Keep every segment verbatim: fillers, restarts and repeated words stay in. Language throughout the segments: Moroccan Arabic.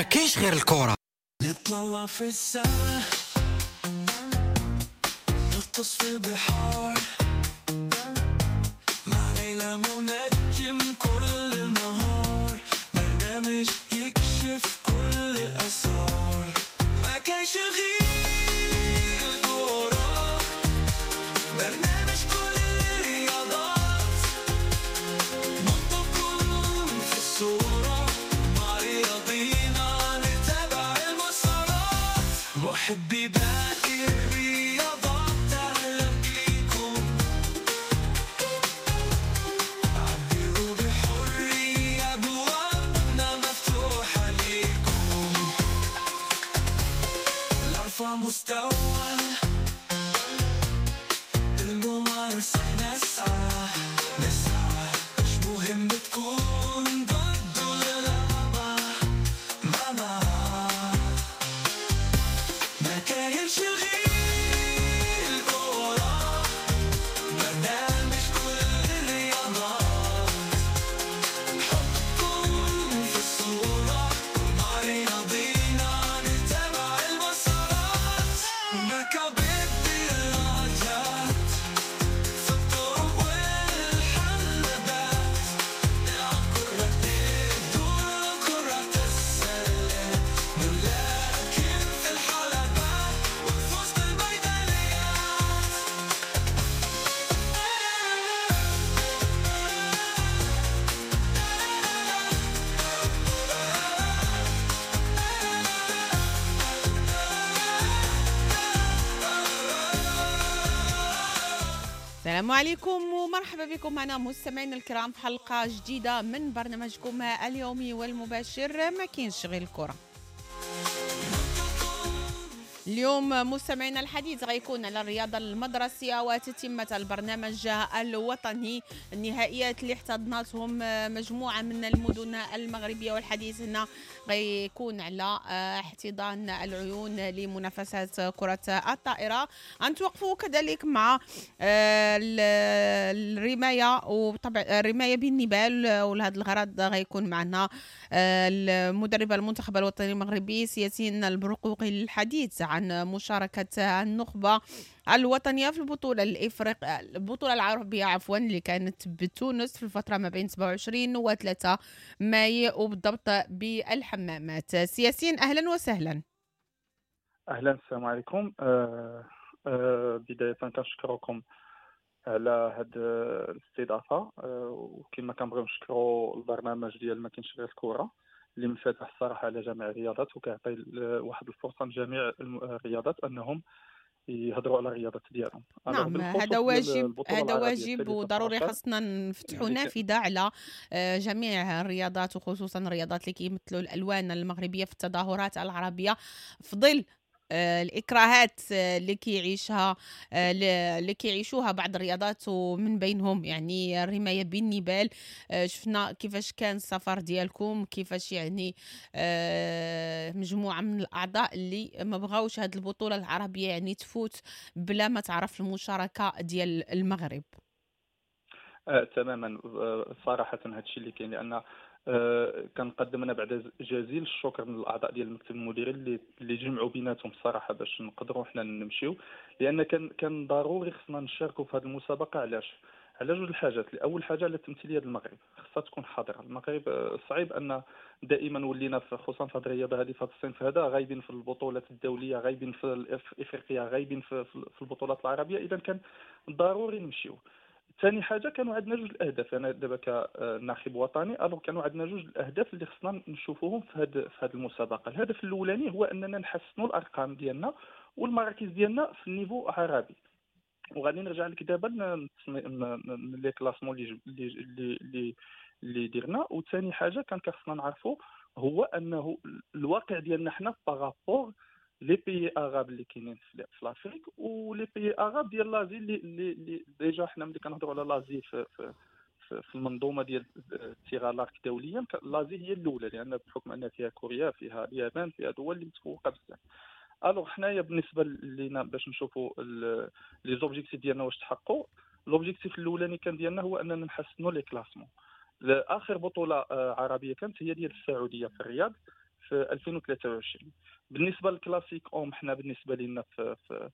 كاينش غير الكره. نطلع في السماء، نغطس في البحار، مع ليلى منجم كل النهار، برنامج يكشف كل الأسرار. ما كاينش غير الكرة، برنامج كل الرياضات، نحطكم في الصورة، مع رياضينا نتابع المسارات. محبي باقي الرياضات أهلا بيكم، عبروا بحرية، أبوابنا مفتوحة ليكم. نرفع مستوى الممارسة، نسعى نسعى، مش مهم تكون ضد ولا لا، ما ما ما كاينش غير الكرة، برنامج كل الرياضات، حطكم في الصورة، مع رياضينا نتابع المسارات. مكابد الراجات في الطرق والحلبات، نلعب كرة الدور كرة السلة، نلاكم في الحلبات ونفوز بالميداليات. السلام عليكم ومرحبا بكم معنا مستمعينا الكرام في حلقة جديدة من برنامجكم اليومي والمباشر ما كاينش غير الكرة. اليوم مستمعينا الحديث غيكون على الرياضة المدرسية وتتمة البرنامج الوطني، النهائيات اللي احتضنتهم مجموعة من المدن المغربية، والحديث هنا غيكون على احتضان العيون لمنافسات كرة الطائرة. غنتوقفوا كذلك مع الرماية، وطبعا الرماية بالنبال، ولهذا الغرض غيكون معنا المدرب المنتخب الوطني المغربي سياسين البرقوقي للحديث عن مشاركة النخبة الوطنية في البطولة الإفريق البطولة العربية عفوا اللي كانت بتونس في الفترة ما بين سبعة وعشرين و ثلاثة ماي وبالضبط بالحمامات. سياسين أهلا وسهلا. أهلا، السلام عليكم. أه أه بداية كنشكركم على هاد الاستضافة، أه وكما كنبغيو نشكروا البرنامج ديال ما كاينش غير الكرة اللي منفتح الصراحة على جميع الرياضات، وكيعطي واحد الفرصة لجميع الرياضات انهم يهضروا على الرياضات ديالهم. نعم، هذا واجب، هذا واجب وضروري، خاصنا نفتحوا نافذة على جميع الرياضات، وخصوصا الرياضات اللي كيمثلوا الالوان المغربية في التظاهرات العربية في ظل الإكراهات اللي كيعيشها اللي كيعيشوها بعض الرياضات، ومن بينهم يعني الرماية بالنبال. شفنا كيفاش كان السفر ديالكم، كيفاش يعني مجموعة من الأعضاء اللي ما بغاوش هذه البطولة العربية يعني تفوت بلا ما تعرف المشاركة ديال المغرب. آه، تماما، صراحة هذا الشيء اللي كاين، لأن أه كنقدم انا بعد جزيل الشكر من الاعضاء ديال المكتب المديري اللي اللي جمعوا بيناتهم الصراحة باش نقدروا حنا نمشيو، لان كان كان ضروري خصنا نشاركوا في هذه المسابقة. علاش؟ على جوج الحاجات. اول حاجة على التمثيلية ديال المغرب، خصها تكون حاضره. المغرب صعيب ان دائما ولينا خصوصا في هذه الرياضة هذه، في هذا الصنف هذا، غايبين في البطولات الدولية، غايبين في افريقيا، غايبين في, في البطولات العربية. اذا كان ضروري نمشيو. ثاني حاجة، كانوا عندنا جوج الاهداف. انا دابا كناخب وطني، alors كانوا عندنا جوج الاهداف اللي خصنا نشوفوهم في هاد في هاد المسابقة. الهدف الاولاني هو اننا نحسنوا الارقام ديالنا والمراكز ديالنا في ال niveau عربي، وغادي نرجع لك دابا les classements اللي اللي اللي اللي درنا. وثاني حاجة كان خصنا نعرفوا هو انه الواقع ديالنا حنا par rapport les pays arabes اللي كاينين في l'Afrique و les pays arabes ديال l'Asie، اللي اللي déjà حنا ملي كنهضروا على l'Asie في في في المنظومة ديال ال tir à l'arc دوليا، l'Asie هي الاولى، لان بحكم ان فيها كوريا، فيها اليابان، فيها دول اللي متفوقه بزاف. alors حنايا بالنسبة لينا باش نشوفوا les objectifs ديالنا واش تحققوا، l'objectif الاولاني كان ديالنا هو اننا نحسنوا les classements. اخر بطوله عربية كانت هي ديال السعودية في الرياض، في ألفين وثلاثة وعشرين. بالنسبة لل classique hommes، حنا بالنسبة لنا في في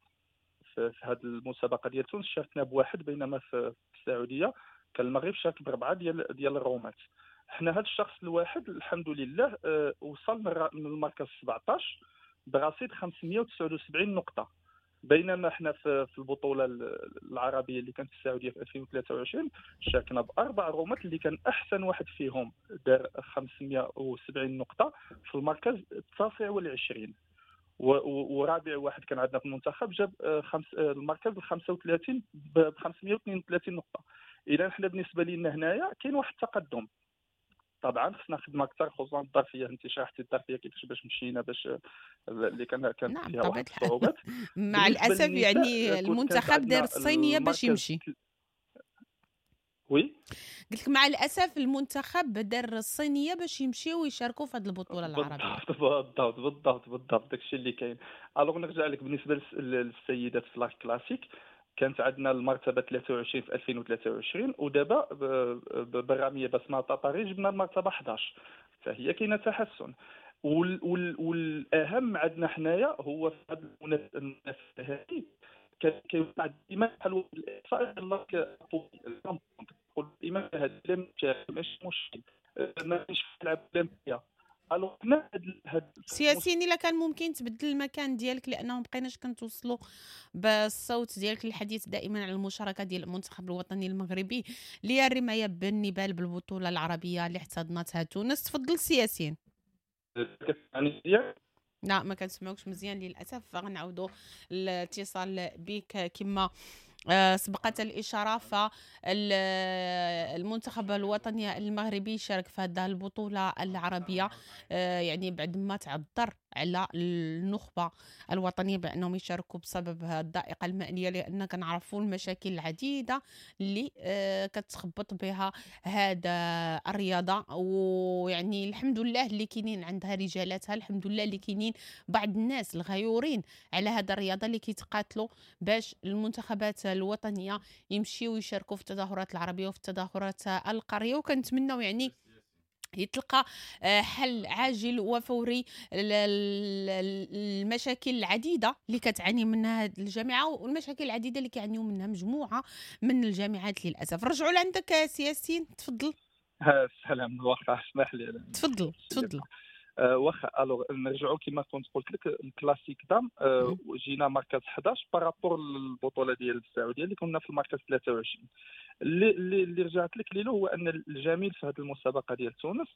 في, في هذه المسابقة ديال تونس شاركنا بواحد، بينما في السعودية كان المغرب شارك بربعه ديال ديال الرومات. حنا هذا الشخص الواحد الحمد لله أه وصل من المركز سبعطاش برصيد خمسمية وتسعة وسبعين نقطة، بينما حنا في البطولة العربية اللي كانت في السعودية في ألفين وثلاثة وعشرين شاركنا باربع رومات اللي كان احسن واحد فيهم دار خمسمية وسبعين نقطة في المركز التاسع والعشرين، ورابع واحد كان عندنا في المنتخب جاب خمس المركز ال خمسة وثلاثين ب خمسمية واثنين وثلاثين نقطة. اذا حنا بالنسبة لنا هنايا كاين واحد التقدم. طبعا خصنا خدمة اكثر، خصوصا الظرفية، انت شرحتي الظرفية كيفاش باش مشينا باش اللي كان كانت نعم فيها واحد الصعوبات مع الاسف. يعني المنتخب دار الصينية باش يمشي. oui قلت لك مع الاسف المنتخب دار الصينية باش يمشيو ويشاركوا في هذه البطولة العربية. بالضبط بالضبط بالضبط داكشي اللي كاين. alors نرجع لك بالنسبة للسيدات في l'arc classique، كانت عندنا المرتبة ثلاثة وعشرين في ألفين وثلاثة وعشرين، ودابا بالراميه بسمه طاطاري جبنا المرتبة حداش، فهي كاينه تحسن. وال وال والاهم عندنا حنايا هو في هذه المنافسة هذه كيوقع ديما بحال واحد الاحصاء ديال ديما هذا ماشي مشكل، ما كاينش تلعب الاولمبية. alors حنا هاد سياسيين الا كان ممكن تبدل المكان ديالك، لانه ما بقيناش كنتوصلوا بالصوت ديالك. الحديث دائما على المشاركة ديال المنتخب الوطني المغربي للرمايه بالنبال بالبطولة العربية اللي احتضنتها تونس. تفضل سياسيين. لا ما كنسمعوكش مزيان للاسف، غنعاودوا الاتصال بك كما سبقت الإشارة. فالمنتخب الوطني المغربي شارك في هذه البطولة العربية يعني بعد ما تعذر على النخبة الوطنية بأنهم يشاركوا بسبب الضائقة المالية، لأن كنعرفوا المشاكل العديدة اللي كتخبط بها هذا الرياضة. ويعني الحمد لله اللي كاينين عندها رجالاتها، الحمد لله اللي كاينين بعض الناس الغيورين على هذا الرياضة اللي كيتقاتلوا باش المنتخبات الوطنية يمشيوا يشاركوا في التظاهرات العربية وفي التظاهرات القارية. وكنتمنوا يعني يتلقى حل عاجل وفوري للمشاكل العديدة اللي كتعاني منها الجامعة والمشاكل العديدة اللي كيعانيوا منها مجموعة من الجامعات للاسف. رجعوا لعندك سياسيين، تفضل. السلام، واخا اسمح لي. تفضل تفضل. واخا alors نرجعوا كما كنت قلت لك ال classique dames، أه جينا مركز حداش par rapport للبطولة ديال السعودية اللي كنا في المركز ثلاثة وعشرين. اللي اللي رجعت لك ليلو هو ان الجميل في هذه المسابقة ديال تونس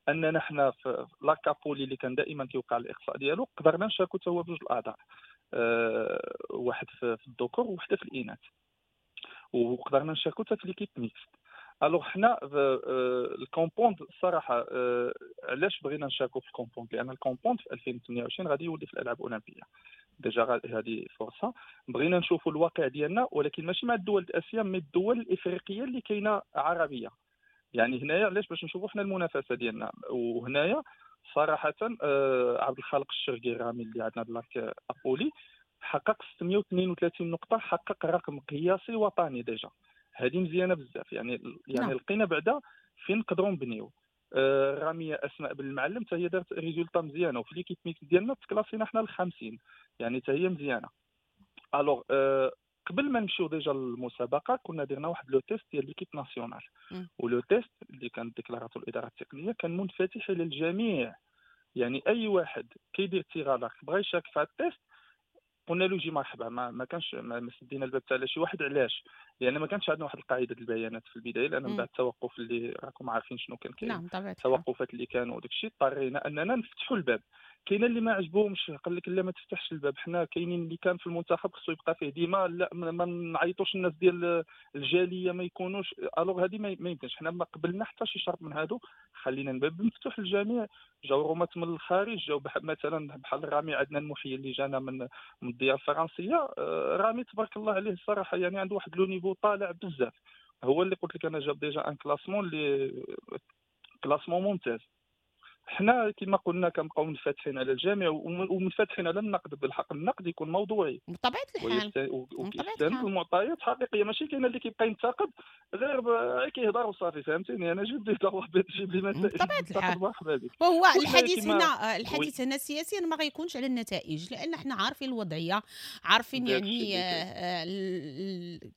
اننا حنا في l'arc à poulies اللي كان دائما كيوقع الاقصاء ديالو قدرنا نشاركوا حتى هو بجوج الاعضاء، أه واحد في الذكور وواحدة في الاناث، وقدرنا نشاركوا حتى في l'équipe mixte. alors حنا ال compound الصراحة علاش بغينا نشاركوا في ال compound؟ لان ال compound في ألفين وثمانية وعشرين غادي يولي في الالعاب الاولمبية، déjà هذه فرصة بغينا نشوفوا الواقع ديالنا، ولكن ماشي مع الدول الاسيا mais الدول الافريقية اللي كاينه عربية. يعني هنايا علاش باش نشوفوا حنا المنافسة ديالنا. وهنايا صراحة عبد الخالق الشرقي الرامي اللي عندنا ب l'arc à poulies حقق ستمية واثنين وثلاثين نقطة، حقق رقم قياسي وطني déjà، هذه مزيانه بزاف. يعني يعني نعم. لقينا بعدا فين نقدروا نبنيو. آه راميه اسماء بن المعلم حتى هي دارت résultat مزيانه، وفي l'équipe mixte ديالنا تكلاسينا حنا الخمسين، يعني حتى هي مزيانه. alors آه قبل ما نمشيو déjà للمسابقه كنا درنا واحد le test ديال l'équipe nationale، و le test اللي كانت ديكلاراتو الادارة التقنية كان منفتح للجميع، يعني اي واحد كيدير tir à l'arc بغى يشارك في هذا ال test قلنا له جي مرحبا، ما, ما كانش ما سدينا الباب تاع شي واحد. علاش؟ لان ما كانش عندنا واحد القاعدة البيانات في البداية، لان من بعد التوقف اللي راكم عارفين شنو كان كاين، نعم التوقفات اللي كانوا وداك الشيء اضطرينا اننا نفتحوا الباب. كاين اللي ما عجبهمش قال لك لا ما تفتحش الباب، حنا كاينين اللي كان في المنتخب خصو يبقى فيه ديما، لا ما نعيطوش الناس ديال الجالية ما يكونوش. alors هذه ما يمكنش، حنا ما قبلنا حتى شي شرط من هادو، خلينا الباب مفتوح للجميع. جاو رومات من الخارج، جاو مثلا بحال الرامي عندنا المحيي اللي جانا من من الديار الفرنسية، رامي تبارك الله عليه الصراحة يعني عنده واحد le niveau طالع بزاف، هو اللي قلت لك انا جاب déjà un classement اللي classement ممتاز. حنا كما قلنا كنبقاو منفتحين على الجميع ومنفتحين على النقد، بالحق النقد يكون موضوعي بطبيعة الحال وكيستند المعطيات حقيقية، ماشي كاين اللي كيبقى ينتقد غير كيهضر وصافي، فهمتيني؟ انا جيب لي ضوابط، جيب لي مسائل بطبيعة الحال. مرحبا بك. وهو الحديث هنا، الحديث هنا السياسي ما غيكونش على النتائج، لان حنا عارفين الوضعية، عارفين يعني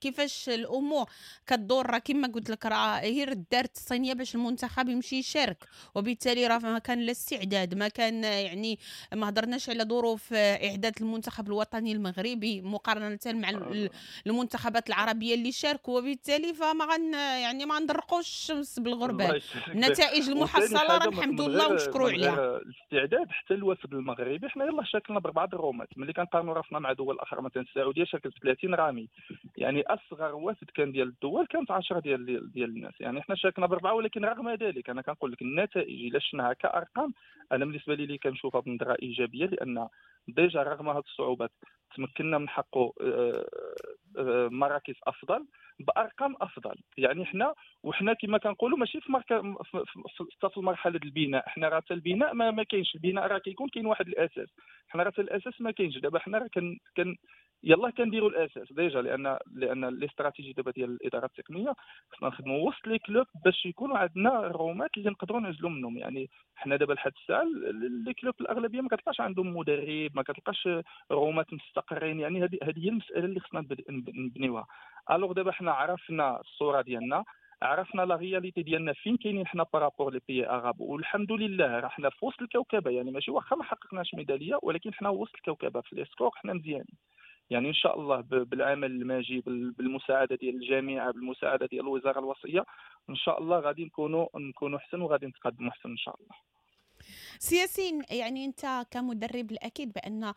كيفاش الامور كدور. راه كما قلت لك راه غير دارت الصينية باش المنتخب يمشي يشارك، وبالتالي راه ما كان لا استعداد، ما كان يعني ما هضرناش على ظروف اعداد المنتخب الوطني المغربي مقارنة مع المنتخبات العربية اللي شاركوا، وبالتالي فما غن يعني ما ندرقوش الشمس بالغربال. النتائج المحصلة راه الحمد لله ونشكروا عليها. الاستعداد حتى الوفد المغربي حنا يلاه شاركنا باربعة الرومات، ملي كنقارنوا راسنا مع دول اخرى مثلا السعودية شاركت ثلاثين رامي، يعني اصغر وفد كان ديال الدول كانت عشرة ديال ديال الناس، يعني حنا شاركنا باربعة. ولكن رغم ذلك انا كنقول لك النتائج الا شفناها كارقام انا بالنسبة لي اللي كنشوفها بنظره ايجابية، لان déjà رغم هذه الصعوبات تمكنا من حقه مراكز افضل بارقام افضل. يعني حنا وحنا كما كنقولوا ماشي في مركز في المرحلة البناء، حنا راه حتى البناء ما, ما كاينش، البناء راه كيكون كاين واحد الاساس، حنا راه حتى الاساس ما كاينش. دابا حنا راه كن كن يلاه كنديروا الاساس déjà، لان لان les stratégies دابا ديال الادارة التقنية خصنا نخدموا وسط les clubs باش يكونوا عندنا الرومات اللي نقدروا نعزلوا منهم. يعني حنا دابا لحد الساعة les clubs الاغلبية ما كتلقاش عندهم مدرب، ما كتلقاش رومات مستقرين، يعني هذه هذه هي المسالة اللي خصنا نبنيوها. alors دابا حنا عرفنا الصورة ديالنا، عرفنا la réalité ديالنا فين كاينين حنا par rapport les pays arabes، والحمد لله راه حنا في وسط الكوكبه، يعني ماشي واخا ما حققناش ميدالية ولكن حنا وسط الكوكبه في les scores حنا مزيانين. يعني ان شاء الله بالعمل الماجي، بالمساعده ديال الجامعة، بالمساعده ديال الوزارة الوصية، ان شاء الله غادي نكونوا نكونوا احسن وغادي نتقدموا احسن ان شاء الله. سياسين، يعني انت كمدرب الاكيد بان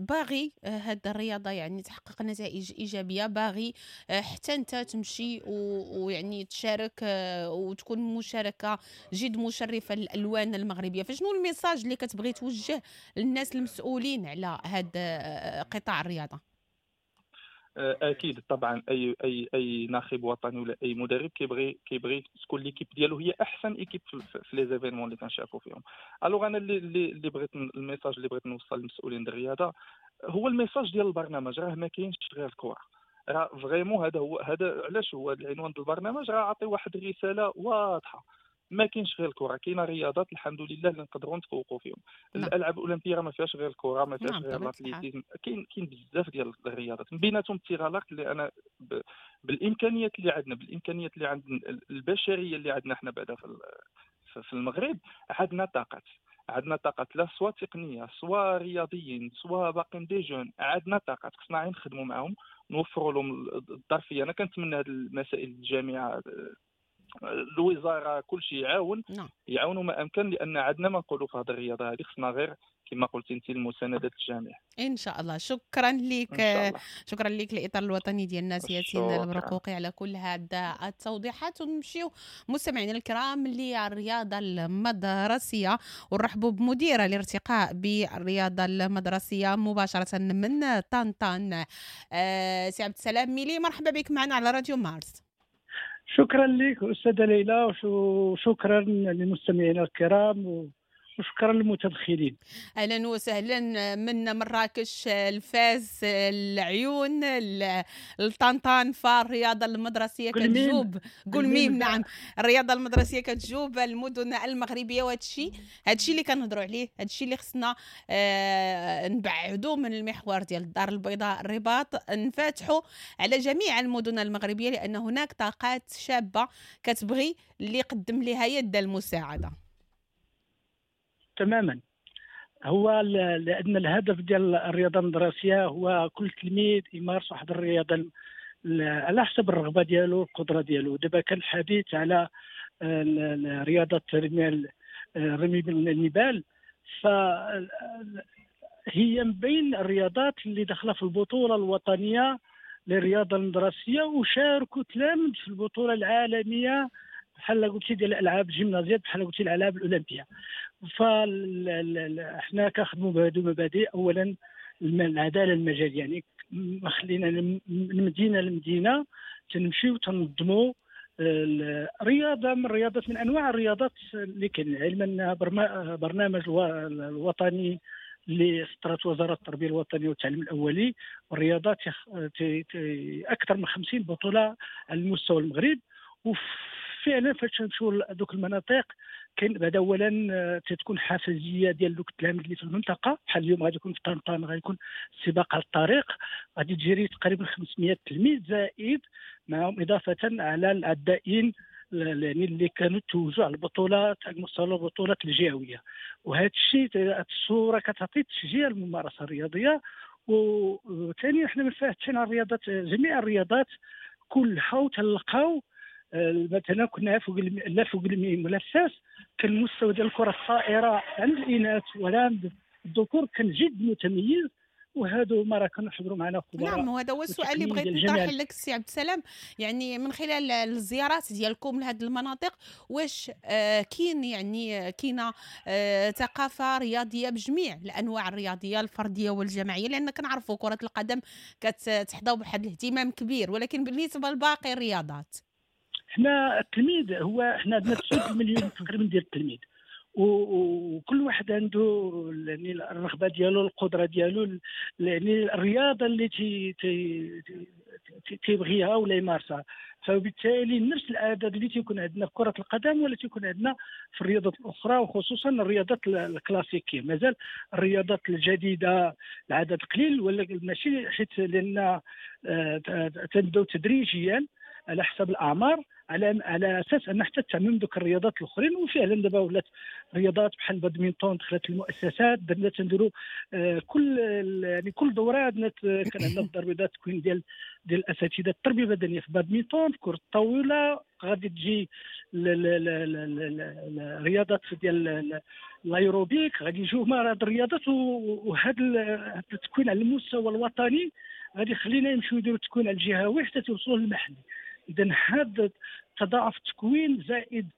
باغي هاد الرياضة يعني تحقق نتائج ايجابية، باغي حتى انت تمشي ويعني تشارك وتكون مشاركة جد مشرفة للالوان المغربية، فشنو ال message اللي كتبغي توجه للناس المسؤولين على هاد قطاع الرياضة؟ اكيد طبعا اي اي اي ناخب وطني ولا اي مدرب كيبغي كيبغي تكون l'équipe ديالو هي احسن équipe في les événements اللي كنشاركوا فيهم. alors انا اللي اللي بغيت ال message اللي بغيت نوصل للمسؤولين ديال الرياضة هو ال message ديال البرنامج، راه ما كاينش غير الكره، راه vraiment هذا هو، هذا علاش هو العنوان ديال البرنامج، راه عطي واحد الرسالة واضحة، ما كاينش غير الكره، كاينه رياضات الحمد لله اللي نقدروا نتفوقوا فيهم. نعم. الالعاب الاولمبية راه ما فيهاش غير الكره، ما فيهاش. نعم. غير l'athlétisme، كاين كاين بزاف ديال الرياضات من بيناتهم ال tir à l'arc اللي انا ب... بالامكانيات اللي عندنا، بالامكانيات اللي عندنا البشرية اللي عندنا حنا بعدا في في المغرب، عندنا طاقات، عندنا طاقات لا سوا تقنية سوا رياضيين سوا باقيين des jeunes، عندنا طاقات خصنا غير نخدموا معاهم، نوفروا لهم الظرفية. انا كنتمنى هذه المسائل الجامعة الوزارة كل شيء يعاون. نعم. يعاونوا ما امكن، لان عندنا ما نقولوا في هذه الرياضة هذه، خصنا غير كما قلت انت المساندة الجامعة ان شاء الله. شكرا لك، شكرا لك الاطار الوطني ديالنا سياسين البرقوقي على كل هذا التوضيحات. ونمشيو مستمعينا الكرام للرياضة المدرسية ونرحبوا بمديره الارتقاء بالرياضة المدرسية مباشرة من طنطان، آه سي عبد السلام ميلي، مرحبا بك معنا على راديو مارس. شكرا لك أستاذة ليلى، وشكرا للمستمعين الكرام، وشكرا للمتدخلين. اهلا وسهلا من مراكش، الفاس، العيون، الطنطان، فالرياضه المدرسية كتجوب قلميم. نعم، الرياضة المدرسية كتجوب المدن المغربية، وهذا الشيء هذا الشيء اللي كنهضروا عليه، هذا الشيء اللي خصنا آه نبعدوا من المحور ديال الدار البيضاء الرباط، نفاتحوا على جميع المدن المغربية، لان هناك طاقات شابه كتبغي اللي يقدم لها يد المساعدة. تماما، هو لان الهدف ديال الرياضة المدرسية هو كل تلميذ يمارس واحد الرياضة على حسب الرغبة ديالو والقدرة ديالو. دابا كان الحديث على رياضة رمي النبال، فهي من بين الرياضات اللي داخله في البطولة الوطنية للرياضة المدرسية، وشاركوا تلامذ في البطولة العالمية بحال قلتي ديال الالعاب الجيمنازيات، بحال قلتي الالعاب الاولمبية. فاحنا كنخدموا بهذو المبادئ. اولا العدالة المجاليه، يعني ما خلينا من مدينة لمدينة تنمشيو تنظموا الرياضة من الرياضات، من انواع الرياضات اللي كاين. علما ان برنامج الوطني اللي سطرت وزارة التربية الوطنية والتعليم الاولي والرياضة اكثر من خمسين بطوله على المستوى المغرب. وفعلا فاش نمشيو لدوك المناطق كاين بعد اولا تتكون حافزيه ديال دوك التلاميذ اللي في المنطقة، بحال اليوم غادي يكون في طنطان غادي يكون سباق على الطريق، غادي تجري تقريبا خمسمائة تلميذ زائد معهم اضافه على العدائين يعني اللي كانوا توزعوا على البطولات على مستوى البطولات الجهوية. وهذا الشيء الصورة كتعطي تشجيع الممارسة الرياضية. وثانيا حنا منفتحين على الرياضات، جميع الرياضات كلها، وتلقاو مثلا كنا فوق لا فوق الملفات كان المستوى ديال الكره الطائرة عند الاناث ولا عند الذكور كان جد متميز، وهادو ما راه كانوا حضروا معنا خبراء. نعم، وهذا هو السؤال اللي بغيت نطرح لك السي عبد السلام، يعني من خلال الزيارات ديالكم لهذه المناطق واش آه كاين يعني كاينه آه ثقافة رياضية بجميع الانواع الرياضية الفردية والجماعيه؟ لان كنعرفوا كره القدم كتحظى بواحد الاهتمام كبير، ولكن بالنسبة لباقي الرياضات حنا التلميذ هو حنا عندنا تسعة مليون تقريبا ديال التلميذ، وكل واحد عنده يعني الرغبة ديالو، القدرة ديالو، يعني الرياضة اللي تي تي تيبغيها ولا يمارسها. فبالتالي نفس العدد اللي تيكون عندنا في كره القدم ولا تيكون عندنا في الرياضات الاخرى، وخصوصا الرياضات الكلاسيكية. مازال الرياضات الجديدة العدد قليل، ولا ماشي حيت لان تنبداو تدريجيا على حسب الاعمار، على على اساس ان حتى تعمم دوك الرياضات الاخرين. وفعلا دابا ولات رياضات بحال البادمنتون دخلت المؤسسات، درنا تنديروا كل يعني كل دوره عندنا كان عندنا الدار البيضاء تكوين ديال ديال الاساتذة التربية البدنية في البادمنتون، في كره الطاولة، غادي تجي الرياضات ديال الايروبيك، غادي يجيو هما هاد الرياضات. وهذا التكوين على المستوى الوطني غادي يخلينا نمشيو نديرو التكوين على الجهوي حتى توصلوا للمحلي. اذا هذا تضاعف التكوين زائد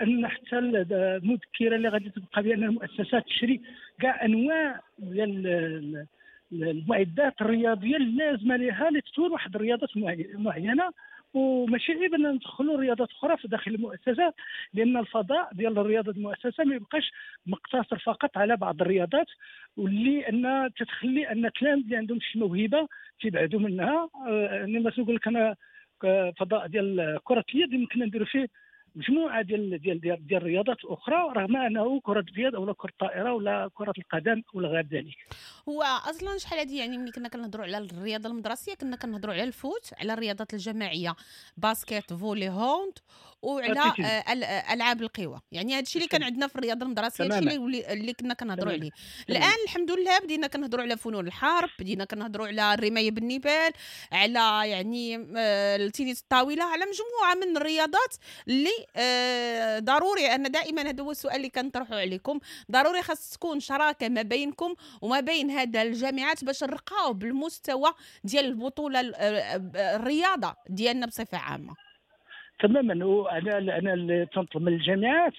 ان حتى المذكرة اللي غادي تبقى بان المؤسسات تشري كاع انواع ديال المعدات الرياضية اللازمة لها لتطوير واحد الرياضات معينة. وماشي عيب ان ندخلوا رياضات اخرى في داخل المؤسسة، لان الفضاء ديال الرياضة المؤسسة ما يبقاش مقتصر فقط على بعض الرياضات، واللي ان تتخلي ان التلاميذ اللي عندهم شي موهبة تيبعدوا منها. يعني مثلا نقول لك انا فضاء ديال كره اليد يمكن نديروا فيه مجموعة ديال ديال ديال, ديال الرياضات اخرى، رغم انه كره اليد او كره الطائرة ولا كره القدم ولا غير ذلك. هو اصلا شحال هذه يعني ملي كنا كنهضروا على الرياضة المدرسية كنا كنهضروا على ال foot، على الرياضات الجماعية basket، volley، hand، وعلى العاب القوى. يعني هذا الشيء اللي كان عندنا في الرياضة المدرسية، هذا الشيء اللي اللي كنا كنهضروا عليه. الان الحمد لله بدينا كنهضروا على فنون الحرب، بدينا كنهضروا على الرماية بالنبال، على يعني التنس الطاولة، على مجموعة من الرياضات اللي آه ضروري. ان دائما هذا هو السؤال اللي كنطرحه عليكم، ضروري خاص تكون شراكة ما بينكم وما بين هذا الجامعات باش نرقاو بالمستوى ديال البطولة الرياضة ديالنا بصفة عامة. تماما. وانا انا اللي تنطلب من الجامعات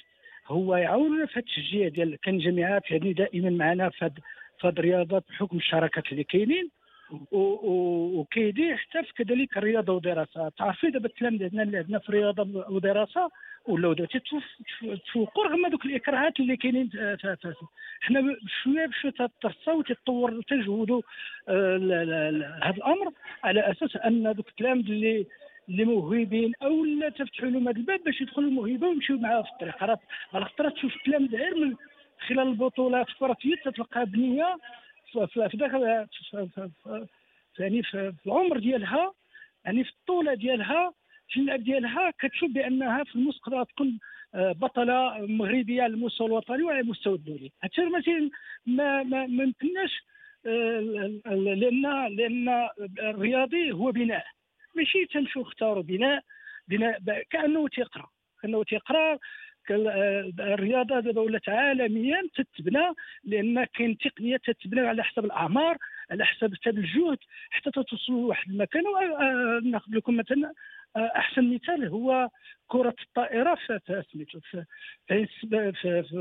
هو يعاونونا في هذا التشجيع ديال كان جامعات يعني دائما معنا في هذه الرياضات بحكم الشراكات اللي كاينين، وكيدير حتى في كذلك الرياضة ودراسة. تعرفي دابا التلاميذ عندنا اللي عندنا في الرياضة ودراسة ولاو دابا تيتفوقوا رغم دوك الاكراهات اللي كاينين. حنا بشوية بشوية تترسى وتتطور وتجهدوا هذا الامر على اساس ان دوك التلاميذ اللي اللي موهوبين او لا تفتحوا لهم هذا الباب باش يدخلوا الموهبة ويمشيو معاها في الطريق. راه على خاطر تشوف التلاميذ غير من خلال البطولات في كره اليد تتلقى بنيه في داخل يعني في العمر ديالها، يعني في الطولة ديالها، في اللعب ديالها، كتشوف بانها في المستقبل تكون بطلة مغربية على المستوى الوطني وعلى المستوى الدولي. هادشي مثلا ما ما يمكنناش، لان لان الرياضي هو بناء، ماشي تمشيو اختاروا بناء بناء كانه تيقرا كانه تيقرا. الرياضة دابا ولات عالميا تتبنى، لان كاين تقنية تتبنى على حسب الاعمار، على حسب حتى الجهد، حتى توصلوا لواحد المكان. ناخذ لكم مثلا احسن مثال هو كره الطائرة في سميتو في, في, في, في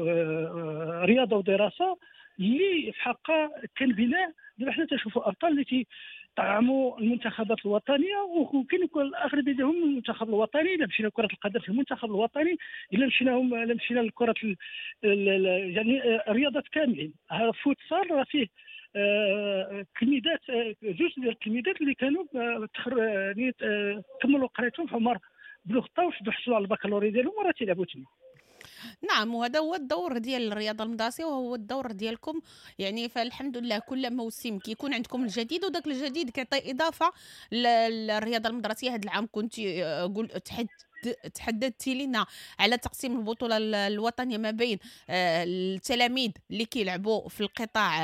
رياضة ودراسة، اللي في حقها كان بناء. دابا حنا تنشوفوا ابطال اللي طعموا المنتخبات الوطنية، وكاين الاغلبية ديالهم المنتخب الوطني. الا مشينا لكرة القدم في المنتخب الوطني، الا مشينا الا مشينا لكرة يعني الرياضات كاملين. فوتسال راه فيه تلميذات، جوج ديال التلميذات اللي كانوا يعني كملوا قرايتهم في عمر بلوغ طاوش حصلوا على البكالوريا ديالهم وراه تيلعبوا تما. نعم، وهذا هو الدور ديال الرياضة المدرسية وهو الدور ديالكم، يعني فالحمد لله كل موسم كيكون عندكم الجديد، وداك الجديد كيعطي اضافه للرياضة المدرسية. هذا العام كنت قول تحد تحددتي لنا على تقسيم البطولة الوطنية ما بين التلاميذ اللي كيلعبوا في القطاع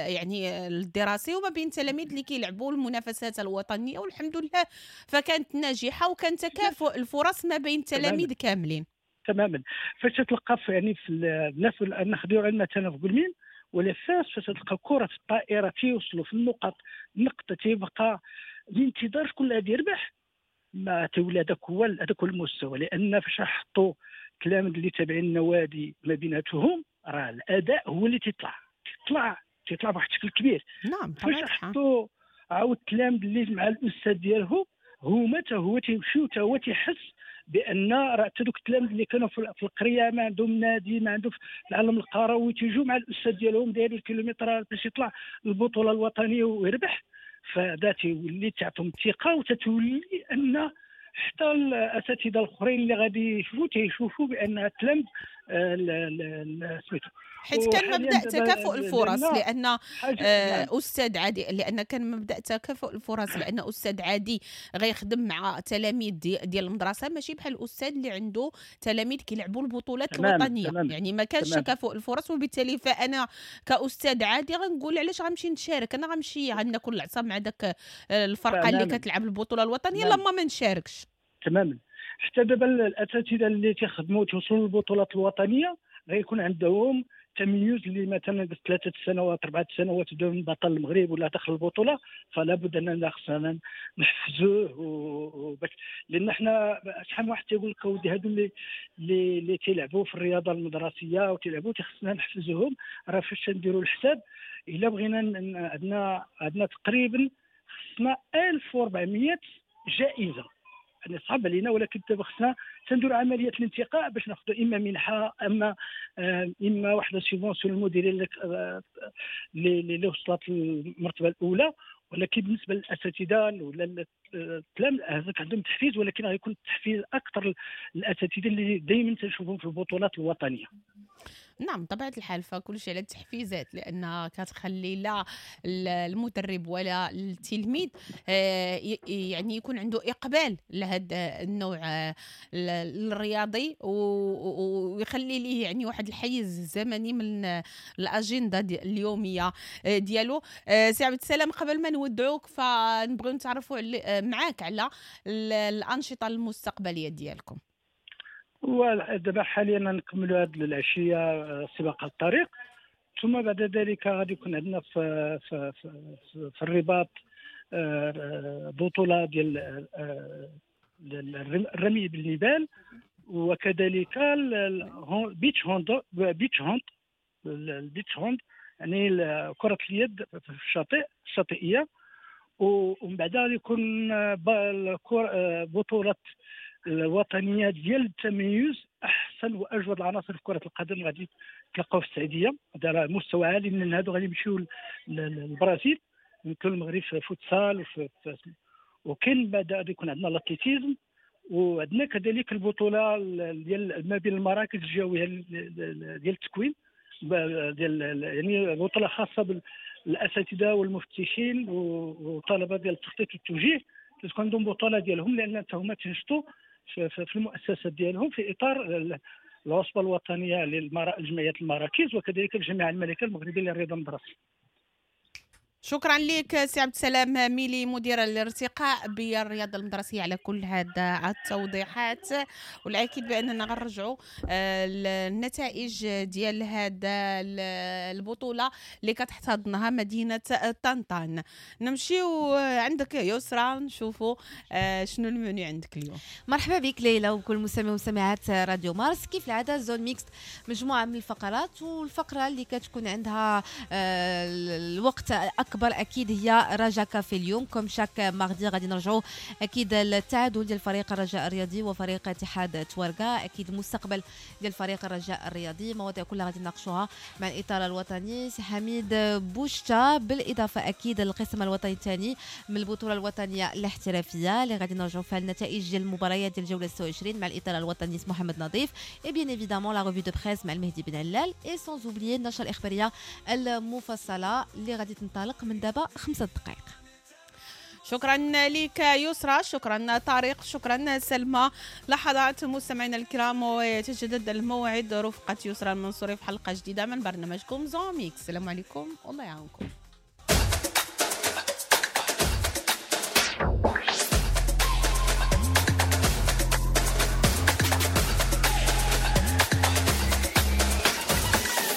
يعني الدراسي وما بين التلاميذ اللي كيلعبوا المنافسات الوطنية، والحمد لله فكانت ناجحة وكان تكافؤ الفرص ما بين التلاميذ كاملين. تماما. فاش تلقى يعني في الناس ناخذوا مثلا في قلمين ولا فاس، فاش تلقى كره في الطائرة تيوصلوا في النقط، النقطة تيبقى الانتظار شكون اللي غادي يربح، ما تولى هذاك هو هذاك هو المستوى. لان فاش حطوا التلاميذ اللي تابعين النوادي ما بيناتهم راه الاداء هو اللي تيطلع تيطلع تيطلع بواحد الشكل كبير. نعم. فاش حطوا عاود التلاميذ اللي مع الاستاذ ديالهم هما حتى هو تيمشيو حتى هو تيحس بان راه حتى دوك التلاميذ اللي كانوا في القرية ما عندهم نادي، ما عندهم في العالم القروي، تيجوا مع الاستاذ ديالهم دايرين الكيلومترات باش يطلع البطولة الوطنية ويربح. فهذا تيولي تعطيهم الثقة، وتتولي ان حتى الاساتذة الاخرين اللي غادي يشوفوا تيشوفوا بان التلاميذ سميتو، حيت كان مبدا تكافؤ الفرص، لان آه استاذ عادي، لان كان مبدا تكافؤ الفرص، لان استاذ عادي غيخدم مع تلاميذ ديال المدرسة ماشي بحال الاستاذ اللي عنده تلاميذ كيلعبوا البطولات الوطنية. تمام. يعني ما كانش تكافؤ الفرص، وبالتالي فانا كاستاذ عادي غنقول علاش غنمشي نشارك، انا غنمشي غناكل العصا مع داك الفرقة اللي كتلعب البطولة الوطنية لما ما نشاركش. تماما. حتى دابا الاساتذة اللي تيخدموا توصلوا للبطولات الوطنية غيكون عندهم تميز، اللي مثلا ثلاثة سنوات اربعة سنوات دون بطل المغرب ولا دخل البطولة، فلا بد اننا خصنا نحفزوه وباش، لان حنا شحال من واحد تيقول لك اودي هادو اللي اللي تيلعبوا في الرياضة المدرسية وتيلعبوا خصنا نحفزوهم. راه فاش نديروا الحساب الا بغينا عندنا عندنا تقريبا خصنا ألف وأربعمية جائزة، يعني صعب علينا، ولكن دابا خصنا تنديروا عملية الانتقاء باش ناخذوا اما منحه اما اما واحدة subvention المديرية اللي اللي وصلت للمرتبه الاولى. ولكن بالنسبة للاساتذه ولا التلاميذ هذاك عندهم تحفيز، ولكن غيكون التحفيز اكثر للاساتذه اللي دائما تنشوفهم في البطولات الوطنية. نعم طبيعة الحال، فكل شيء على التحفيزات، لأنها كتخلي لا المدرب ولا التلميذ يعني يكون عنده إقبال لهذا النوع الرياضي، ويخلي ليه يعني واحد الحيز الزمني من الأجندة اليومية ديالو. سي عبد السلام، قبل ما نودعوك فنبغيو نتعرفوا معاك على الأنشطة المستقبلية ديالكم. ودابا حاليا نكملوا هذه العشية سباق الطريق، ثم بعد ذلك غادي يكون عندنا في في في, في الرباط بطوله ديال الرمي بالنبال، وكذلك beach hand beach hand ال beach hand يعني كره اليد في الشاطئ الشاطئيه. ومن بعد غادي يكون بطوله الوطنية ديال التميز، احسن واجود العناصر في كره القدم غادي تلقاو في السعودية، هذا مستوى عالي. من هادو غادي يمشيو للبرازيل، مثل المغرب في فوتسال وفي وكاين بعد غادي يكون عندنا l'athlétisme، وعندنا كذلك البطولة ديال ما بين المراكز الجوية ديال التكوين ديال يعني بطوله خاصة بالاساتذه والمفتشين وطلبه ديال التخطيط والتوجيه، تكون عندهم بطوله ديالهم، لان هما تنشطوا في المؤسسات ديالهم في اطار العصبة الوطنية للجمعيات المراكز، وكذلك الجامعة الملكية المغربية للرياضة المدرسية. شكرا لك سي عبد السلام ميلي، مدير الارتقاء بالرياضة المدرسية، على كل هذا التوضيحات. والاكيد باننا غنرجعوا النتائج ديال هذا البطولة اللي كتحتضنها مدينة طنطان. نمشيو عندك يسرا نشوفوا شنو المنيو عندك اليوم. مرحبا بك ليلى وكل مستمعي ومستمعات راديو مارس. كيف العادة zone mixte مجموعة من الفقرات، والفقرة اللي كتكون عندها الوقت الاكبر اكيد هي رجا كافي. اليوم comme chaque mardi غادي نرجعوا اكيد التعادل ديال فريق الرجاء الرياضي وفريق اتحاد تواركا، اكيد المستقبل ديال فريق الرجاء الرياضي، مواضيع كلها غادي نناقشوها مع الاطار الوطني سي حميد بوشتا، بالاضافة اكيد للقسم الوطني الثاني من البطولة الوطنية الاحترافية اللي غادي نرجعوا فيها النتائج ديال المباريات ديال الجولة ستة وعشرين مع الاطار الوطني محمد نظيف، et bien évidemment la revue de presse مع المهدي بن علال، et sans oublier النشرة الاخبارية المفصلة اللي غادي تنطلق من دابا خمسة دقائق. شكرا لك يسرى، شكرا طارق، شكرا سلمى. لحظات مستمعينا الكرام ويتجدد الموعد رفقة يسرى المنصوري في حلقة جديدة من برنامجكم Zone Mixte. السلام عليكم والله يعاونكم.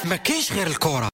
ما كاينش غير الكرة.